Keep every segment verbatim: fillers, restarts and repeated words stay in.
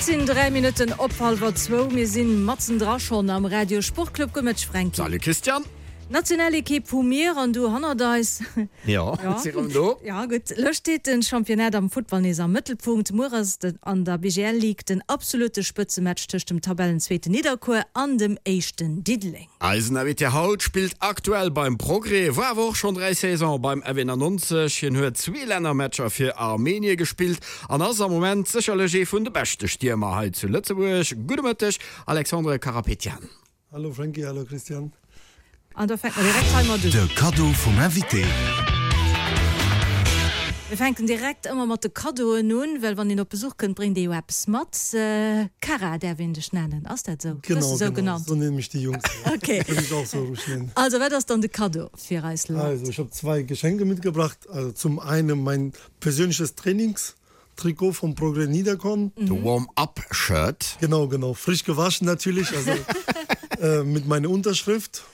Et sinn dräi Minutten op hallwer zwou. Mir sinn matzendra schonn am Radio Sportclub. Gutt Mëtteg Fränki. Salut Christian. Nationalekipp hu mir an du hannert eis. Jo, si rëm do. Jo, gutt. Lo steet den Championnat am Futtball nees am Mëttelpunkt. Muer ass et an der B G L Ligue den absolutte Spëtzematch tëscht dem Tabellenzweeten Nidderkuer an dem éischten Diddeleng. Eisen Invité haut spillt aktuell beim Progrès, war awer och schonn dräi Saisone beim F eenannonzeg. Hien huet zwee Lännermatcher fir Armenie gespillt an ass am Moment sécherlech ee vun de beschte Stiermer hei zu Lëtzebuerg. Gudde Mëtteg, Alexandre Karapetian. Hallo Franky, hallo Christian. An da fänke mer direkt hei mat un. De Kaddo vum Invité. Mir fänken direkt ëmmer mat de Kaddoen un, well wann een op Besuch kënnt, bréngt ee jo eppes mat. Kara däerf een dech nennen, ass dat esou? Genau, Gëss de esou genau, genannt? so nennen mich die Jungs. Ja. Okay. Würde ich auch so ruhig nennen. Also, wat ass dann de Kaddo fir eis Leit? Also, ich habe zwei Geschenke mitgebracht. Also zum einen mein persönliches Trainingstrikot vom Progrès Niederkorn. De Warm-up-Shirt. Genau, genau. Frisch gewaschen natürlich, also äh, mit meiner Unterschrift.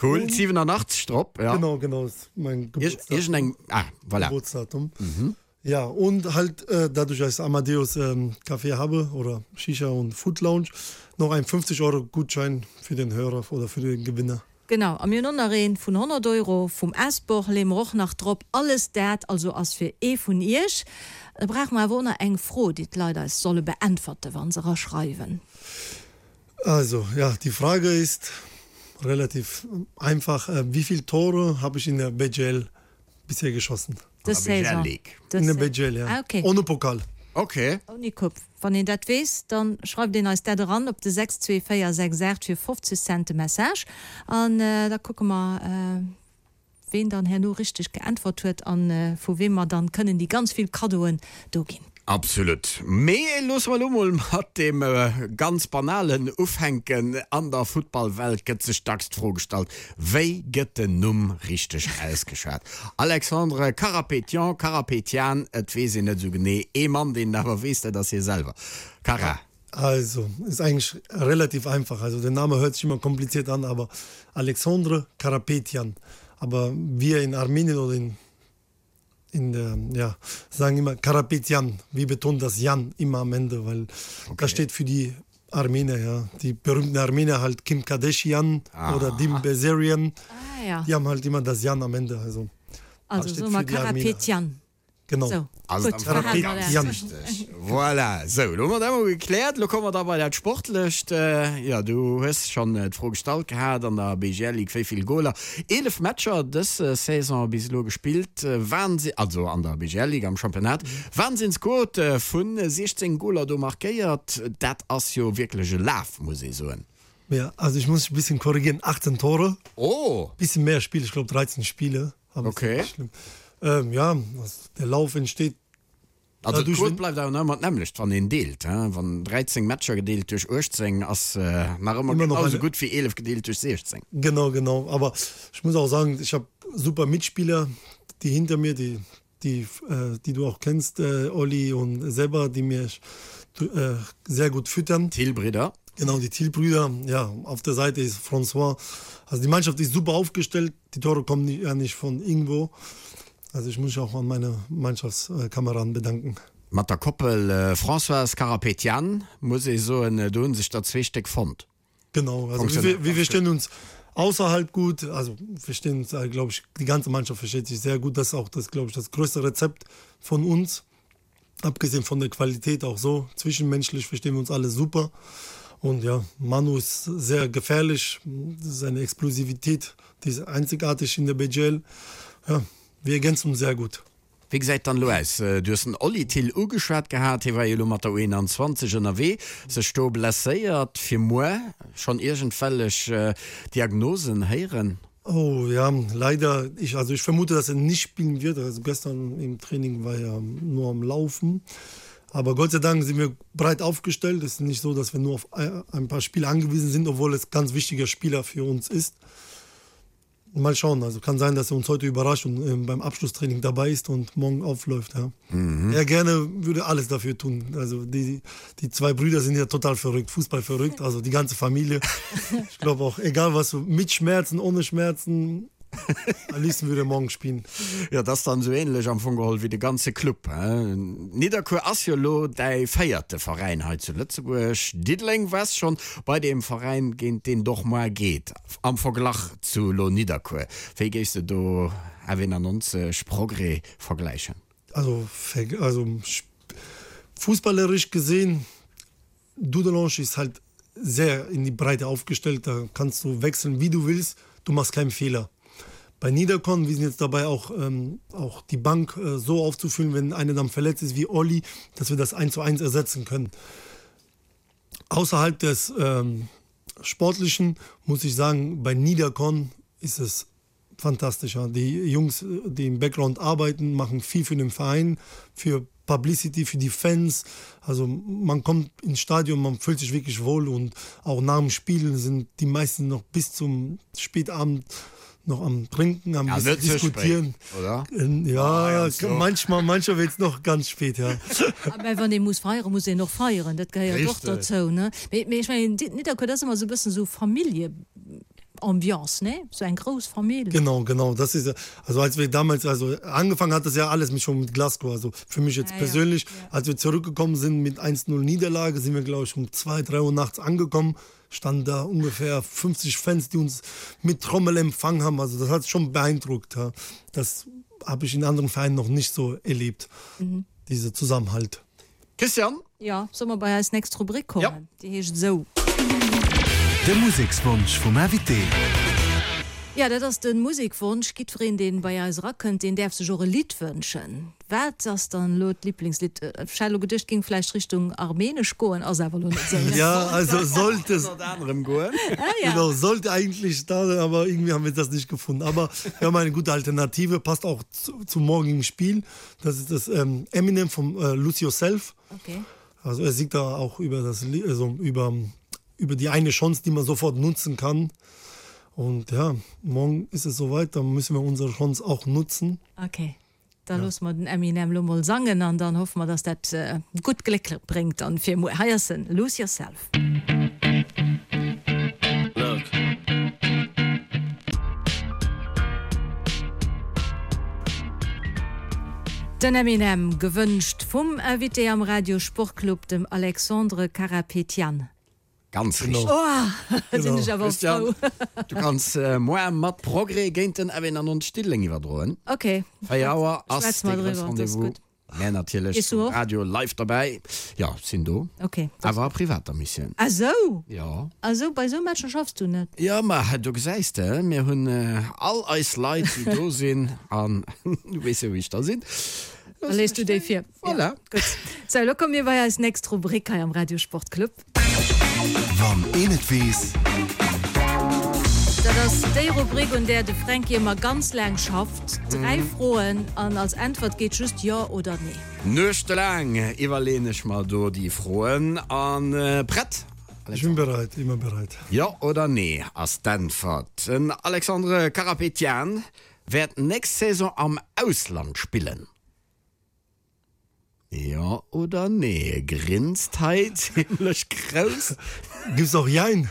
Cool, siwenanachtzeg drop, ja. Genau, genau, ist mein Geburtsdatum. Iergendeng, ah, voilà. Geburtsdatum. Ja, und halt äh, dadurch, dass ich Amadeus ähm, Café habe oder Shisha und Food Lounge, noch ein fünfzig Euro Gutschein für den Hörer oder für den Gewinner. Genau, a mir hunn och nach een vun honnert Euro vum Asbor, leeë mer och nach drop. Alles dat also ass fir ee vun iech. Da brauche mer awer och nach eng Fro, déi d'Leit eis solle beäntwerte wa se eraschreiwen. Also, ja, die Frage ist relativ einfach. Wie viel Tore habe ich in der B G L bisher geschossen? Dës Saison. In der B G L, ja. Ah, okay. Ohne Pokal. Okay. Ouni Coupe. Wann een dat weess, dann schreift een eis dat eran op de sechs zwee véier sechs aacht fir fofzeg Cent de Message. An da kucke mer, ween dann herno richteg geäntwert huet an vu weem mer dann kënnen déi ganz vill Kaddoen do ginn. Absolut. Mee loosse mer elo mol mat deem ganz Banalen ufänken. An der Futtballwelt gëtt sech dacks d'Fro gestallt, Wéi gëtt den Numm richteg ausgeschwat? Alexandre Karapetian, Karapetian, et weess een net esou genee. Ee Mann, deen et awer weess, dat ass hie selwer. Kara. Also, ist eigentlich relativ einfach. Also, der Name hört sich immer kompliziert an, aber Alexandre Karapetian. Aber wir in Armenien oder in, in der, ja, sagen immer Karapetian. Wir betonen das Jan immer am Ende, weil Okay. das steht für die Armenier, ja. Die berühmten Armenier halt Kim Kardashian Ah. oder Dim Bazarian. Ah, ja. Die haben halt immer das Jan am Ende. Also, Also, das steht so mal für die Armenier. Karapetian. Genau. So, Also, gutt, dann verhalen wir Karapetian. dat. Richtig. Voilà. Sou, lo hu mer dat emol gekläert. Lo komme mer da bei dat Sportlecht. Jo, du hues schonn d'Fro gestallt gehat an der B G L Ligue, wéi vill Goler? Eelef Matcher dës Saison bis elo gespillt. Wahnsinn, also an der B G L Ligue, am Championnat. Wahnsinnsquote vu siechzéng Goler do markéiert. Dat ass jo wierklech e Laf, muss ee soen. Ja, also ich muss ein bisschen korrigieren, achtzehn Tore. Oh! Bisschen mehr Spiele, ich glaub dreizehn Spiele. Aber ist Okay. nicht schlimm. Ähm, ja, also der Lauf entsteht. Also dadurch, d'Quote wenn bleift awer nach ëmmer d'nämmlecht, wann een deelt, hä? Wann dräizéng Matcher gedeelt duerch uechtzéng ass, äh, nach ëmmer Immer noch genauso eine gutt wéi eelef gedeelt duerch siechzéng. Genau, genau. Aber ich muss auch sagen, ich hab super Mitspieler, die hinter mir, die, die, äh, die du auch kennst, äh, Olli und Seba, die mir, äh, sehr gut füttern. Thill-Brüder. Genau, die Thill-Brüder. Ja, auf der Seite ist François. Also die Mannschaft ist super aufgestellt. Die Tore kommen nicht, ja nicht von irgendwo. Also ich muss mich auch an meine Mannschaftskameraden bedanken. Mat der Koppel, äh, François Karapetian, muss ee soen, do hunn sech der zwee Stéck fonnt. Genau, also wir, Funktioniert wir ganz verstehen gut. uns außerhalb gut, also verstehen uns, äh, glaub ich, die ganze Mannschaft versteht sich sehr gut. Das ist auch das, glaub ich, das größte Rezept von uns. Abgesehen von der Qualität auch so, zwischenmenschlich verstehen wir uns alle super. Und ja, Manu ist sehr gefährlich, seine Explosivität, die ist einzigartig in der B G L. Ja, wir ergänzen uns sehr gut. Wéi gesäit dann elo aus? Du hues den Oli Thill ugeschwat gehat, hie war jo elo mat der U eenanzwanzeg ënnerwee, sech do blesséiert. Fir muer schonn iergendwellech Diagnosen héieren? Oh ja, leider. Ich, also ich vermute, dass er nicht spielen wird. Also gestern im Training war er nur am Laufen. Aber Gott sei Dank sind wir breit aufgestellt. Es ist nicht so, dass wir nur auf ein, ein paar Spieler angewiesen sind, obwohl es ganz wichtiger Spieler für uns ist. Mal schauen, also kann sein, dass er uns heute überrascht und, ähm, beim Abschlusstraining dabei ist und morgen aufläuft. Ja. Mhm. Er gerne würde alles dafür tun. Also die, die zwei Brüder sind ja total verrückt, Fußball verrückt, also die ganze Familie. Ich glaube auch, egal was, mit Schmerzen, ohne Schmerzen, Am liebsten würde er morgen spielen. Jo, dat ass dann esou ähnlech am Fong geholl wéi de ganze Club, he? Nidderkuer ass jo elo däi véierte Veräin hei zu Lëtzebuerg. Diddeleng waars schonn bei deem Veräin, géint deen et och muer geet. Am Verglach zu elo Nidderkuer, wéi géifs de do F eenannonzeg Progrès vergläichen? Also, also fußballerisch gesehen, Dudelange ist halt sehr in die Breite aufgestellt, da kannst du wechseln wie du willst, du machst keinen Fehler. Bei Niederkorn, wir sind jetzt dabei auch, ähm, auch die Bank äh, so aufzufüllen, wenn einer dann verletzt ist wie Olli, dass wir das eins zu eins ersetzen können. Außerhalb des ähm, Sportlichen muss ich sagen, bei Niederkorn ist es fantastisch. Ja. Die Jungs, die im Background arbeiten, machen viel für den Verein, für Publicity, für die Fans. Also man kommt ins Stadion, man fühlt sich wirklich wohl und auch nach dem Spielen sind die meisten noch bis zum Spätabend noch am Trinken, am Ja, bisschen net ze spéit, diskutieren. oder? Ähm, Ja, heiansdo. manchmal, manchmal wird es noch ganz spät, ja. Mä wann ee muss feieren, muss een och feieren, dat gehéiert och Richteg. dozou, ne? Mee, mee ech mengen, Nidderkuer, dat ass ëmmer esou e bëssen esou Familljeambiance, ne? Esou eng grouss Famill. Genau, genau, das ist ja, also als wir damals, also angefangen hat das ja alles mit schon mit Glasgow, also für mich jetzt Ja, ja, persönlich, ja. als wir zurückgekommen sind mit eins null Niederlage, sind wir glaube ich um zwei, drei Uhr nachts angekommen, standen da ungefähr fünfzig Fans, die uns mit Trommel empfangen haben, also das hat schon beeindruckt, ja. Das habe ich in anderen Vereinen noch nicht so erlebt, Mhm. dieser Zusammenhalt. Christian? Jo, solle mer bei eis nächst Rubrik kommen? Ja. Déi heescht esou. De Musekswonsch vum Invité. Ja, dat ass de Musekwonsch. Jiddwereen, dee bei eis erakënnt, deen däerf sech och e Lidd wënschen. Wat ass dann elo d'Liblingslidd? Ech hat elo geduecht, et géing vläicht Richtung armenesch goen, ass awer elo net esou, ne? Ja, also sollte es. Ënnert anerem goen. Ah, ja. Genau, sollte eigentlich da sein, aber irgendwie haben wir das nicht gefunden. Aber wir haben eine gute Alternative, passt auch zu, zum morgigen Spiel. Das ist das, ähm, Eminem vom, äh, Lose Yourself. Okay. Also er singt da auch über das, also über, über die eine Chance, die man sofort nutzen kann. Und ja, morgen ist es soweit, dann müssen wir unsere Chance auch nutzen. Okay. Da loosse mer den Eminem lo mol sangen an dann hoffe mer, dass dat äh, gutt Gléck bréngt dann fir muer. Hei ass en, Lose Yourself. Look. Den Eminem, gewënscht vum Invité am Radio Sportclub, dem Alexandre Karapetian. Ganz Genau. richteg. Oh, sinn ech awer Christian, frou. du kanns muer mat Progrès géint den F eenannonzeg Diddeleng iwwerdroen. Okay. Véier Auer ass Schwätze de mer grousse driwwer, dat ass Rendez-vous. gutt. Mär natierlech Gees du um och? Radio live derbäi. Jo, sinn do. Okay. Awer a privater Missioun. Ah sou? Jo. Ah sou, bei sou Matcher schaffs du net? Jo, ma do gesäis de, mir hunn all eis Leit, déi do sinn, an du weess jo, wéi ech da sinn. Da léiss du déi vir. Voilà. Ja, gutt. Sou, elo komme mir bei eis nächst Rubrik hei am Radio Sportclub. Wann een et weess. Dat ass déi Rubrik, un där de Fränki ëmmer ganz laang schafft. Dräi Froen an als Äntwert geet just Jo oder Nee. Nuechtelaang iwwerleeën ech mer do déi Froen an prett? Ich bin bereit, immer bereit. Jo oder Nee ass d'Äntwert. Den Alexandre Karapetian wäert nächst Saison am Ausland spillen. Jo oder nee? Grinst hei zimlech grouss. Gibt's auch Jein?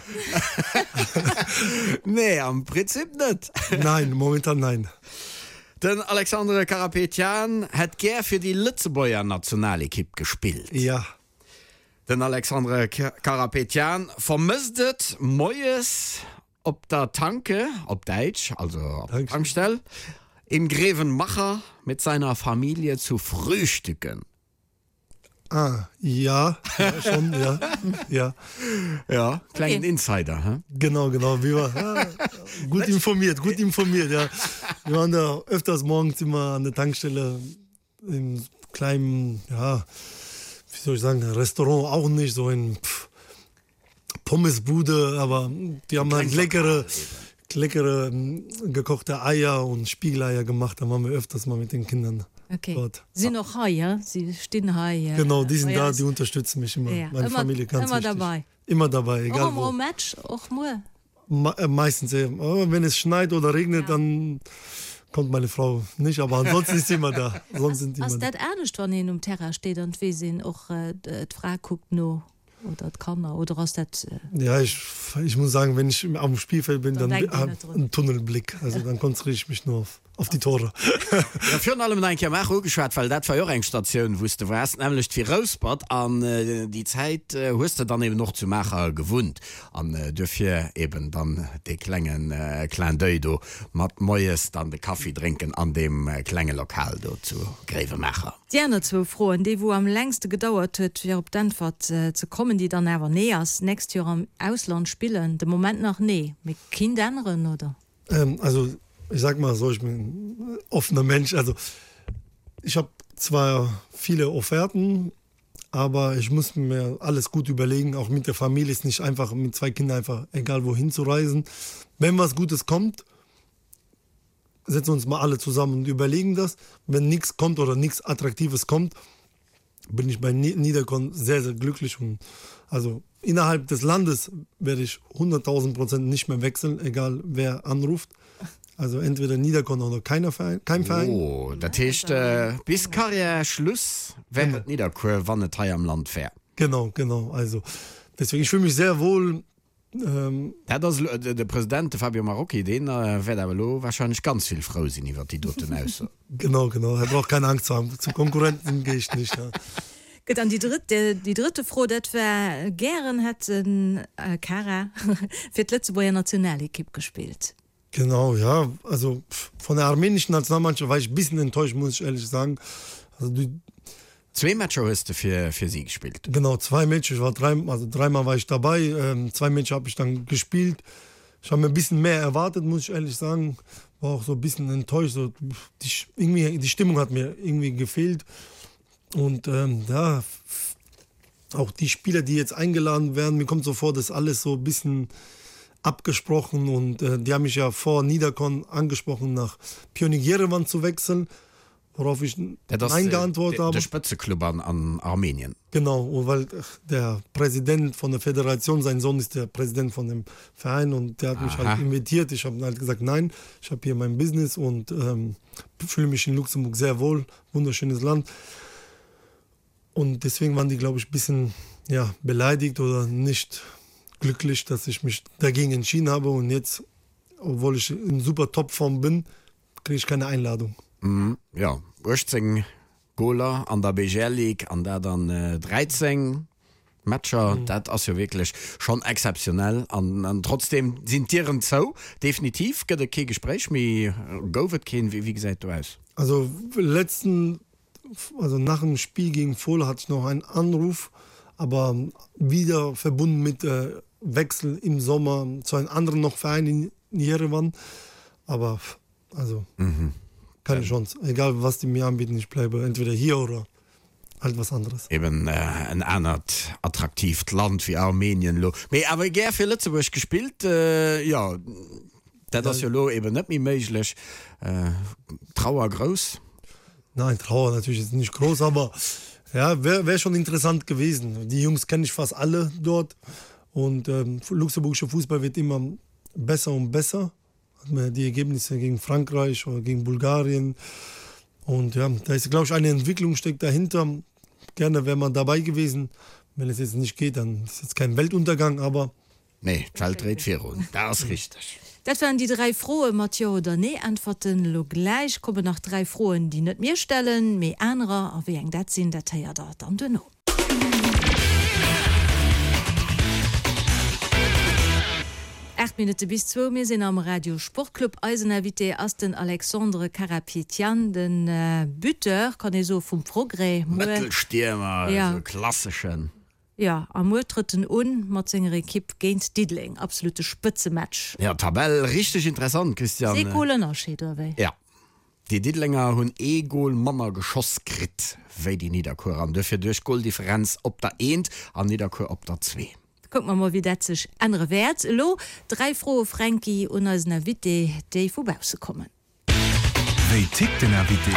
Nee, am Prinzip net. Nein, momentan nein. Den Alexandre Karapetian hätt gär fir déi Lëtzebuerger Nationalekipp gespillt. Ja. Den Alexandre Karapetian vermësst et, moies op der Tanke, op Däitsch, also op der Tankstell, im Grevenmacher mit seiner Familie zu frühstücken. Ah, ja, ja schon, ja. Ja. Ja, klengen Okay. Insider, hä? Genau, genau. Wir waren, ja, gut informiert, gut informiert, ja. Wir waren da öfters morgens immer an der Tankstelle im kleinen, ja, wie soll ich sagen, Restaurant auch nicht, so in pff, Pommesbude, aber die haben halt leckere, leckere ähm, gekochte Eier und Spiegeleier gemacht. Da waren wir öfters mal mit den Kindern Okay. dort. Sinn och hei, ja? Si stinn hei. Genau, die sind bei da, eis. die unterstützen mich immer. Ja, Meine immer- Familie ganz immer wichtig. dabei. Immer dabei, egal Och wo. am Match, och muer. Me äh, meistens, ja. Aber wenn es schneit oder regnet, Ja. dann kommt meine Frau nicht, aber ansonsten ist sie immer da. Sonst sind die Ass immer da. dat anescht, wann een um Terrain steet an et weess een och, äh, d'Fra kuckt no? oder d'Kanner oder ass dat. Ja, ich, ich muss sagen, wenn ich am Spielfeld bin, dann, dann habe ich einen Tunnelblick. Also dann konzentriere ich mich nur auf, auf die Tore. Ja, virun allem nach eng Kéier Maacher ugeschwat, well dat war jo och eng Statioun, wou s de waars, nämlech d'Virouspert. An déi Zäit hues de dann eben och zu Maacher gewunnt. An duerfir eben dann dee klenge Clin d'oeil do mat moies dann de Kaffi drénken an deem klenge Lokal do zu Gréiwemaacher. Déi aner zwou Froen, déi wou am längste gedauert huet fir op d'Äntwert ze kommen, déi dann awer Nee ass, Nächst Joer am Ausland spillen? De Moment nach nee, mee kinnt änneren, oder? Also ich sag mal so, ich bin ein offener Mensch, also ich hab zwar viele Offerten, aber ich muss mir alles gut überlegen, auch mit der Familie ist nicht einfach mit zwei Kindern einfach egal wohin zu reisen. Wenn was Gutes kommt, setzen uns mal alle zusammen und überlegen das. Wenn nichts kommt oder nichts Attraktives kommt, bin ich bei Niederkorn sehr, sehr glücklich. Und also innerhalb des Landes werde ich hunderttausend Prozent nicht mehr wechseln, egal wer anruft. Also entweder Niederkorn oder keiner Verein, kein Verein. Oh, dat heescht bis Karriärschluss wär et Nidderkuer, wann et hei am Land wär. Genau, genau. Also deswegen, ich fühle mich sehr wohl. Dat ass elo, de President, de Fabio Marocchi, dee wäert awer elo wahrscheinlech ganz vill frou sinn iwwer déi doten Ausso. Genau, genau, er braucht keine Angst zu haben, zu Konkurrenten gehe ich nicht, ja. Gutt, an déi drëtt, déi drëtte Fro, dat war, Gären hätt den Kara fir d'Lëtzebuerger Nationalekipp gespillt. Genau, ja, also von der armenischen Nationalmannschaft war ich e bisschen enttäuscht, muss ich ehrlich sagen. Also die Zwee Matcher hues de fir fir si gespillt? Genau, zwei Matcher, ich war drei, also dreimal war ich dabei, ähm, zwei Matcher habe ich dann gespielt. Ich habe mir e bisschen mehr erwartet, muss ich ehrlich sagen. War auch so e bisschen enttäuscht, so die, irgendwie, die Stimmung hat mir irgendwie gefehlt. Und ähm, ja, auch die Spieler, die jetzt eingeladen werden, mir kommt so vor, dass alles so e bisschen abgesprochen und äh, die haben mich ja vor Niederkorn angesprochen, nach Pionik Jerewan zu wechseln. Worauf ich Dat ass Nein geantwortet de habe. Spëtzeklub an an Armenien. Genau, weil der Präsident von der Föderation, sein Sohn ist der Präsident von dem Verein und der hat mich Aha. halt invitiert. Ich habe halt gesagt, nein, ich habe hier mein Business und ähm, fühle mich in Luxemburg sehr wohl, wunderschönes Land. Und deswegen waren die, glaube ich, bisschen ja, beleidigt oder nicht glücklich, dass ich mich dagegen entschieden habe. Und jetzt, obwohl ich in super Topform bin, kriege ich keine Einladung. Mhm, jo, uechtzéng Goler an der B G L Ligue an dat an dräizéng Matcher, dat ass jo wierklech schonn exzeptionell. An, an trotzdem sinn d'Dieren zou. Definitiv gëtt et kee Gespréich méi, gouf et keen? Wéi, wéi gesäit do aus? Also letzten, also nach dem Spiel gegen Fola hatte ich noch einen Anruf, aber wieder verbunden mit äh, Wechsel im Sommer zu einem anderen noch Verein in Jerewan. Aber also mhm. keine Chance. Egal was die mir anbieten, ich bleibe entweder hier oder halt was anderes. Eben äh, en anert attraktiivt Land wéi Armenien lo. Mee awer gär fir Lëtzebuerg gespillt, äh, ja, dat ass jo lo eben net méi méiglech. Äh, Trauer grouss? Nein, Trauer natürlich ist nicht groß, aber ja, wäre wär schon interessant gewesen. Die Jungs kenne ich fast alle dort und ähm, luxemburgischer Fußball wird immer besser und besser. Hat man die Ergebnisse gegen Frankreich oder gegen Bulgarien und ja, da ist glaube ich eine Entwicklung steckt dahinter. Gerne wäre man dabei gewesen. Wenn es jetzt nicht geht, dann ist jetzt kein Weltuntergang, aber Nee, d'Welt dréit virun, dat ass richteg. Dat waren déi dräi Froe mat Jo oder Nee-Äntwerten. Elo gläich kommen nach dräi Froen, déi net mir stellen, mee anerer. A wéi eng dat sinn, dat héiert der dann duerno. Aacht Minutte bis zwou, mir sinn am Radio Sportclub. Eisen Invité ass den Alexandre Karapetian, de Buteur, kann ee soe, vum Progrès. Muer. Mëttelstiermer, esou e klasseschen. Jo, a muer trëtt en un mat senger Ekipp géint Diddeleng. Absolute Spëtzematch. Jo, Tabell richteg interessant, Christiane. Ass ee Gol Ënnerscheed, oder wéi? Jo. Déi Diddelenger hunn ee Gol manner geschoss kritt wéi déi Nidderkuerer an duerfir duerch Goldifferenz op der Eent an Nidderkuer op der Zwee. Kucke mer mol, wéi dat sech ännere wäert. Elo dräi Froe, Fränki, un eisen Invité, déi vu bausse kommen. Wéi tickt den Invité?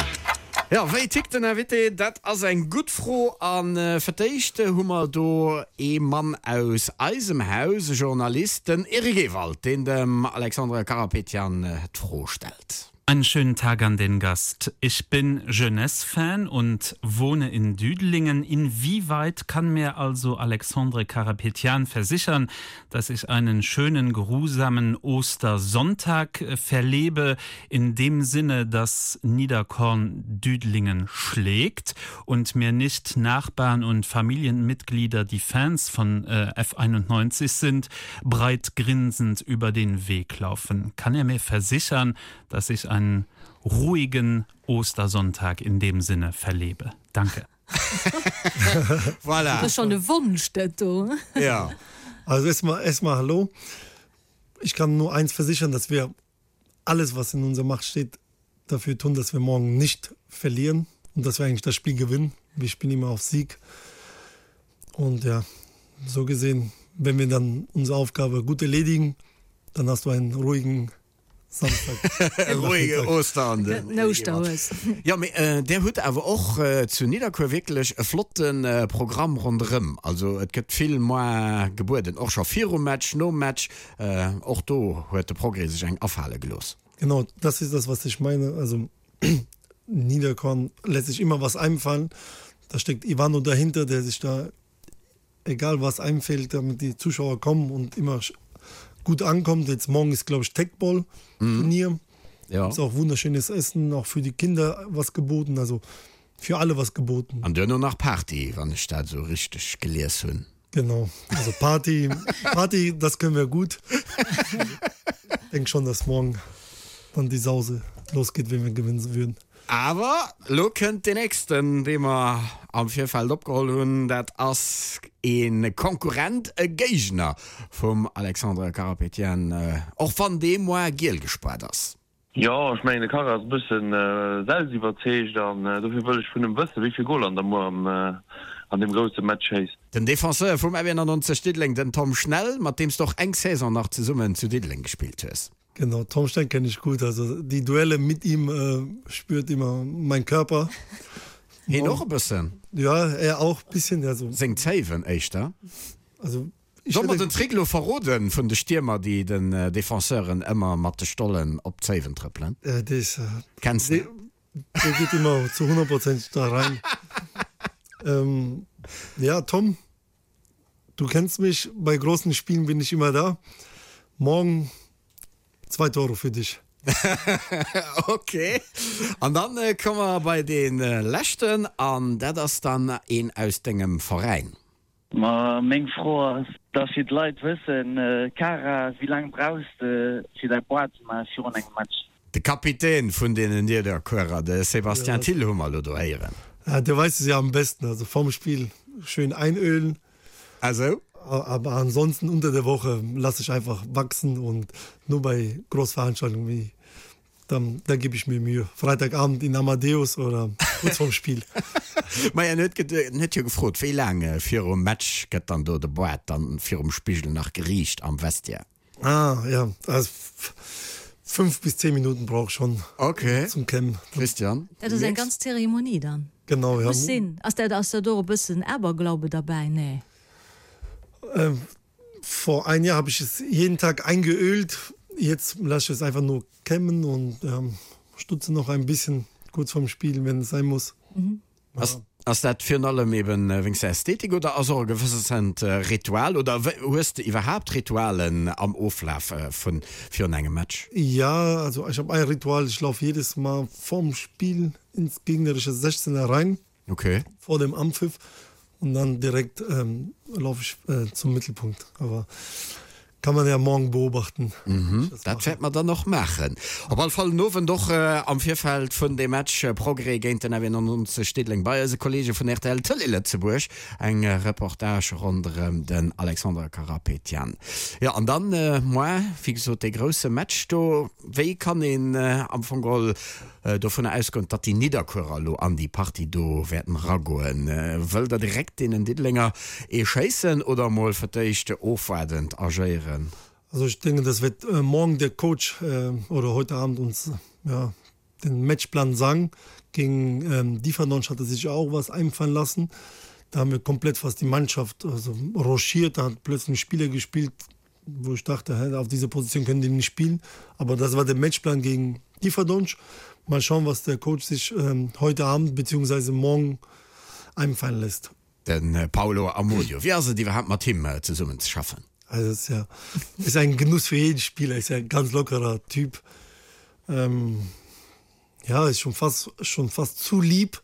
Jo, wéi tickt den Invité? Dat ass eng gutt Fro. A fir d'éischt hu mer do ee Mann aus eisem Haus, e Journalist, den Eric Ewald, deen dem Alexandre Karapetian d'Fro stellt. Einen schönen Tag an den Gast. Ich bin Jeunesse-Fan und wohne in Düdelingen. Inwieweit kann mir also Alexandre Karapetian versichern, dass ich einen schönen, geruhsamen Ostersonntag äh, verlebe, in dem Sinne, dass Niederkorn Düdelingen schlägt und mir nicht Nachbarn und Familienmitglieder, die Fans von äh, F einundneunzig sind, breit grinsend über den Weg laufen? Kann er mir versichern, dass ich einen ruhigen Ostersonntag in dem Sinne verlebe? Danke. Voilà. Dat ass schonn e Wonsch, dat do. Ja. Also erstmal, erstmal hallo. Ich kann nur eins versichern, dass wir alles, was in unserer Macht steht, dafür tun, dass wir morgen nicht verlieren und dass wir eigentlich das Spiel gewinnen. Wir spielen immer auf Sieg. Und ja, so gesehen, wenn wir dann unsere Aufgabe gut erledigen, dann hast du einen ruhigen Samstag. Ruhige Ostern. Den Ouschterhues. Jo, mee där hutt awer och zu Nidderkuer wierklech e flotte Programm ronderëm. Also et gëtt vill moi gebueden, och scho virum Match, nom Match. Och do huet de Progrès sech eng afale gelooss. Genau, das ist das, was ich meine. Also Niederkorn lässt sich immer was einfallen. Da steckt Ivano dahinter, der sich da egal was einfällt, damit die Zuschauer kommen und immer gut ankommt. Jetzt morgen ist glaube ich Techball Turnier. Mhm. Ja. Ist auch wunderschönes Essen, auch für die Kinder was geboten, also für alle was geboten. An duerno nach Party, wann ech dat esou richteg gelies hunn. Genau, also Party, Party, das können wir gut. Denk schon, dass morgen dann die Sause losgeht, wenn wir gewinnen würden. Awer lo kënnt deen nächsten, dee mer am Virfeld opgeholl hunn. Dat ass e Konkurrent, e Géigner vum Alexandre Karapetian, och wann dee moar giel gespaart ass. Jo, ech mengen de Kara ass e bëssen selbstiwwerzeegt an dofir wëll ech vun him wëssen, wéi vill Goler en da muer an deem grousse Match schéisst. Den Defenseur vum F einundneunzeg Diddeleng, den Tom Schnell, mat deem s de och eng Saison nach zesummen zu Diddeleng gespillt hues. Genau, Tom Schnell kenne ich gut, also die Duelle mit ihm äh, spürt immer mein Körper. Hien och e bëssen? Ja, er auch bisschen, also. Seng Zéiwen éischter? Also ich Soll mer hätte den Trick elo verroden vun de Stiermer, déi den Defenseuren ëmmer mat de Stollen op d'Zéiwen trëppelen? Äh, dee ist, äh, Kenns de? Der geht immer zu hundert Prozent da rein. Ähm, ja, Tom, du kennst mich, bei großen Spielen bin ich immer da. Morgen zwei Tore für dich. Ok, an dann komme mer bei dee leschten, an dat ass dann een aus dengem Veräin. Ma meng Fro ass da fir d'Leit wëssen, Cara, wéi laang brauchs de fir däi Boart ze maache virun engem Match? De Kapitän vun deenen Niederkuerer, de Sébastien Thill hu mer elo do héieren. Ja, der weiß es ja am besten, also vorm Spiel schön einölen. Ah sou? Aber ansonsten unter der Woche lasse ich einfach wachsen und nur bei Großveranstaltungen wie dann da gebe ich mir Mühe. Freitagabend in Amadeus oder kurz vorm Spiel. Maja, en huet en huet jo gefrot, wéi laang virum Match gëtt dann do de Boart dann virum Spigel nach geriicht am Vestiaire? Ah ja, also fünf bis zehn Minuten brauch ich schon Okay. zum Kämmen. Christian? Dat ass eng ganz Zeremonie dann. Genau, ja. Muss sinn. Ass dat, ass da do e bëssen Aberglaube derbäi? Nee. Ähm, vor ein Jahr habe ich es jeden Tag eingeölt. Jetzt lasse ich es einfach nur kämmen und ähm, stutze noch ein bisschen kurz vorm Spiel, wenn es sein muss. Mhm. Ass, ass dat virun allem eben wéinst der Ästhetik oder ass och e gewëssent Ritual oder hues de iwwerhaapt Ritualen am Oflaf vun virun engem Match? Ja, also ich habe ein Ritual, ich laufe jedes Mal vorm Spiel ins gegnerische sechzehner rein. Okay. Vor dem Anpfiff und dann direkt ähm, laufe ich äh, zum Mittelpunkt. Aber kann man ja morgen beobachten. Mhm, dat wäert mer dann och maachen. Op alle Fall den Owend och am Virfeld vun dem Match Progrès géint den F neunundneunzeg Diddeleng bei eise Kollege vun R T L Tëlee Lëtzebuerg eng Reportage ronderëm den Alexandre Karapetian. Jo, an dann moar, wéi gesot, dee grousse Match do. Wéi kann een am Fong geholl dovunner ausgoen, datt déi Nidderkuerer elo an déi Partie do wäerten eragoen? Wëllt Der direkt deenen Diddelenger ee schéissen oder emol fir d'éischt ofwaardend agéieren? Also ich denke, das wird morgen der Coach oder heute Abend uns ja den Matchplan sagen. Gegen Differdange hat er sich auch was einfallen lassen. Da haben wir komplett fast die Mannschaft also rochiert, da hat plötzlich Spieler gespielt, wo ich dachte, hä, auf dieser Position können die nicht spielen. Aber das war der Matchplan gegen Differdonsch. Mal schauen, was der Coach sich ähm, heute Abend bzw. morgen einfallen lässt. Den äh, Paulo Amodio. Wéi ass et iwwerhaapt mat him äh, zesummen ze schaffen? Also ist ja ist ein Genuss für jeden Spieler, ist ja ein ganz lockerer Typ. Ähm, ja, ist schon fast schon fast zu lieb.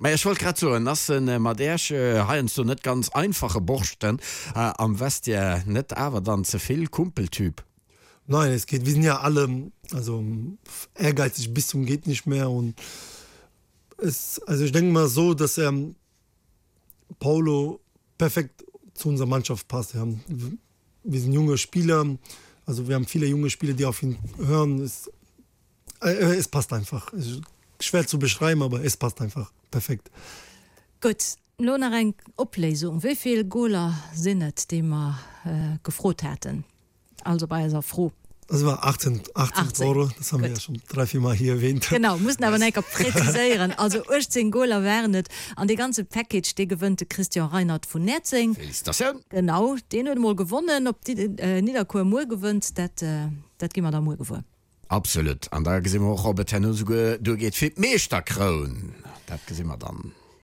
Mä ech wollt grad soen, ass en mat Iech heiansdo net ganz einfache Borschten am Vestiaire net awer dann ze vill Kumpeltyp? Nein, es geht, wir sind ja alle also ehrgeizig bis zum geht nicht mehr und es also ich denke mal so, dass er Paulo perfekt zu unserer Mannschaft passt. Ja. Wir sind junge Spieler, also wir haben viele junge Spieler, die auf ihn hören. Es, äh, es passt einfach. Es ist schwer zu beschreiben, aber es passt einfach perfekt. Gutt, lo nach eng Opléisung. Wéi vill Goler sinn et, déi mer gefrot haten? Also bei eiser Fro. Das war achtzehn, achtzehn Tore, das haben wir ja schon drei, vier Mal hier erwähnt. Genau, mussen awer enker präziséieren. Also uechtzéng Goler waren et an dee ganze Package, dee gewënnt de Christian Reinert vun Näerzeng. Felicitatioun! Genau, deen huet emol gewonnen. Ob Nidderkuer muer gewënnt, dat, dat gi mer da muer gewuer. Absolut. An da gesi mer och, ob et herno souguer duergeet fir d'Meeschterkroun. Dat gesi mer dann.